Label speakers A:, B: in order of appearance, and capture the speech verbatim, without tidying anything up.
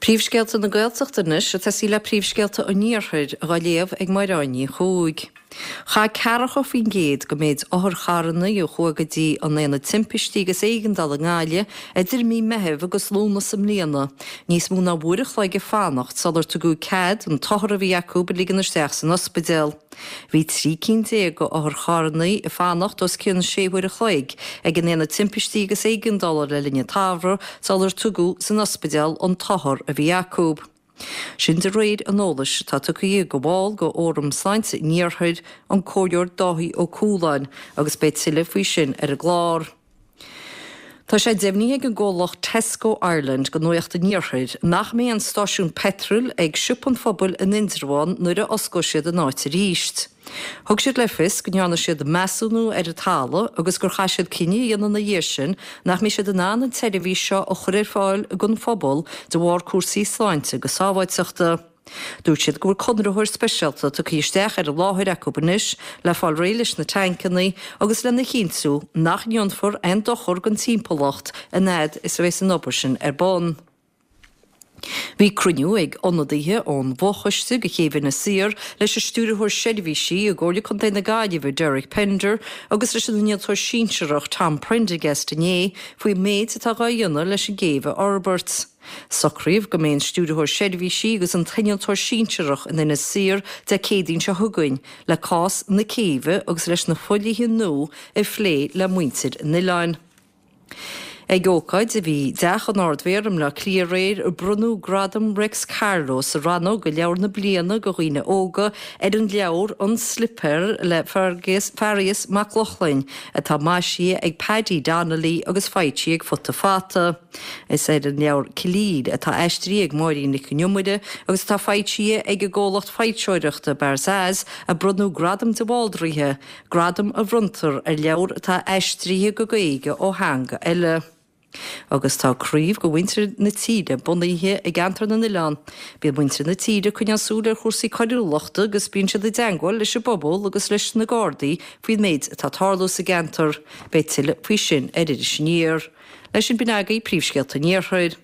A: Príomhscéalta na Gaeltachta anois ag tosaí le príomhscéalta an Iarthair á léamh ag Máire Ní Chuaig. Chaith ceathracha faoin gcéad den méid otharcharranna a chuaigh go dtí an Aonad Timpistí agus Éigeandála i nGaillimh idir mí Meithimh agus Lúnasa i mbliana, níos mó ná uair a chloig ag fanacht sular tugadh cead an t-othar a bhí acu a ligean isteach san ospidéal. Bhí trí cinn déag d'otharcharranna ag fanacht os cionn sé huaire a chloig ag an Aonad Timpistí agus Éigeandála le linn an tsamhraidh sular tugadh san ospidéal an t-othar a bhí acu. Sin de réir an eolais atá tugtha ag ball de Fhóram Sláinte an Iarthair, an Comhairleoir Dáithí Ó Cualáin, agus beidh tuilleadh faoi sin ar an gclár. Tá sé deimhnithe ag an gcomhlacht Tesco Ireland do Nuacht an Iarthair nach mbeidh aon stáisiún peitril ag Siopa an Phobail in Indreabhán nuair a osclóidh siad an áit arís. Thug siad le fios go ndearna siad measúnú ar an talamh agus gur chaith siad cinneadh a dhéanamh ina dhiaidh sin nach mbeidh siad in ann an tseirbhís seo a chur ar fáil don phobal de bharr cúrsaí sláinte agus sábháilteachta. Dúirt siad go bhfuil conraitheoir speisialta tugtha isteach ar an láthair acu anois le fáil réidh leis na tancanna agus lena chinntiú nach ndéanfar aon dochar don timpeallacht an fhad is a bheas an obair sin ar bun. Bhí cruinniú ag ionadaithe ón bhfochoiste do chéibh Inis Oírr leis an Stiúrthóir Seirbhísí i gComhairle Contae na Gaillimhe Derek Pender agus leis an Innealtóir Sinsearach Tom Prendergast inné faoin méid atá á dhéanamh leis an gcéibh a fhorbairt. Socraíodh go mbeidh an Stiúrthóir Seirbhísí agus an tInnealtóir Sinsearach in Inis Oírr Dé Céadaoin seo chugainn le cás na céibhe agus leis na fodhlíthe nua a phlé le muintir an oileáin. Ag ócáid a bhí i dTeach an Ardmhéara i mBleá Cliath aréir, bronnadh Gradam Réics Carló sa rannóg do Leabhar na Bliana do Dhaoine Óga ar an leabhar An Slipéar le Fearghas Mac Lochlainn, atá maisithe ag Paddy Donnelly agus foilsithe ag Futa Fata. Is ar an leabhar Killeel, atá aistrithe ag Máirín Nic an Iomaire agus atá foilsithe ag an gcomhlacht foilsitheoireachta Barzaz, a bronnadh Gradam de Bhaldraithe, gradam a bhronntar ar leabhar atá aistrithe go Gaeilge ó theanga eile. Agus tá craobh de mhuintir na tíre bunaithe i gCeantar na nOileán. Bíonn muintir na tíre ag coinneáil súil ar chúrsaí coiriúlachta agus bíonn siad i dteagmháil leis an bpobal agus leis na Gardaí faoin méid atá ag tarlú sa gceantar. Beidh tuilleadh faoi sin ar Iris Aniar. Leis sin b'in agaibh príomhscéalta an Iarthair.